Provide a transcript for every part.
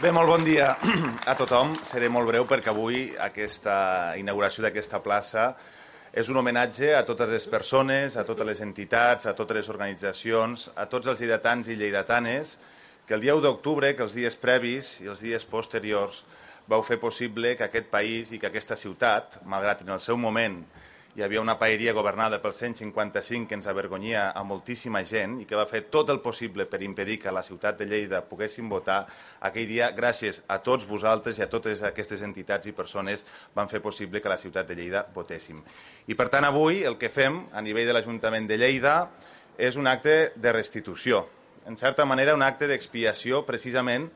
Bé, molt bon dia a tothom. Seré molt breu perquè avui aquesta inauguració d'aquesta plaça és un homenatge a totes les persones, a totes les entitats, a totes les organitzacions, a tots els lleidatans i lleidatanes que el dia 1 d'octubre, que els dies previs i els dies posteriors vau fer possible que aquest país i que aquesta ciutat, malgrat en el seu moment hi havia una paeria governada pel 155 que ens avergonyia a moltíssima gent i que va fer tot el possible per impedir que a la ciutat de Lleida poguéssim votar, aquell dia, gràcies a tots vosaltres i a totes aquestes entitats i persones, van fer possible que a la ciutat de Lleida votéssim. I per tant avui el que fem a nivell de l'Ajuntament de Lleida és un acte de restitució, en certa manera un acte d'expiació precisament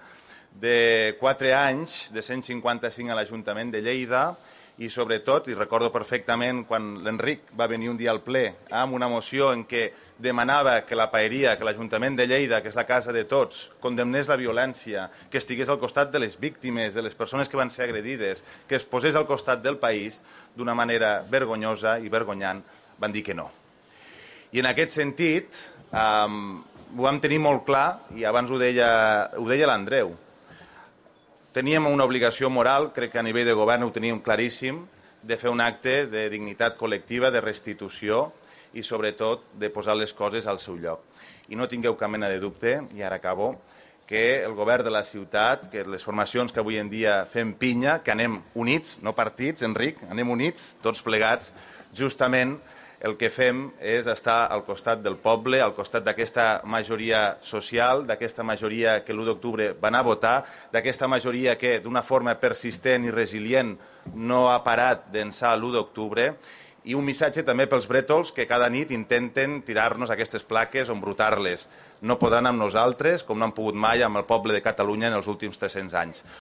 de 4 anys de 155 a l'Ajuntament de Lleida i sobretot, i recordo perfectament quan l'Enric va venir un dia al ple amb una moció en què demanava que la paeria, que l'Ajuntament de Lleida, que és la casa de tots, condemnés la violència, que estigués al costat de les víctimes, de les persones que van ser agredides, que es posés al costat del país d'una manera vergonyosa i vergonyant, van dir que no. I en aquest sentit ho vam tenir molt clar i abans ho deia l'Andreu. Teníem una obligació moral, crec que a nivell de govern ho teníem claríssim, de fer un acte de dignitat col·lectiva, de restitució i sobretot de posar les coses al seu lloc. I no tingueu cap mena de dubte, i ara acabo, que el govern de la ciutat, que les formacions que avui en dia fem pinya, que anem units, no partits, Enric, anem units, tots plegats, justament el que fem és estar al costat del poble, al costat d'aquesta majoria social, d'aquesta majoria que l'1 d'octubre va anar a votar, d'aquesta majoria que d'una forma persistent i resilient no ha parat d'ençà l'1 d'octubre, i un missatge també pels brètols que cada nit intenten tirar-nos aquestes plaques o embrutar-les. No podran amb nosaltres, com no han pogut mai amb el poble de Catalunya en els últims 300 anys.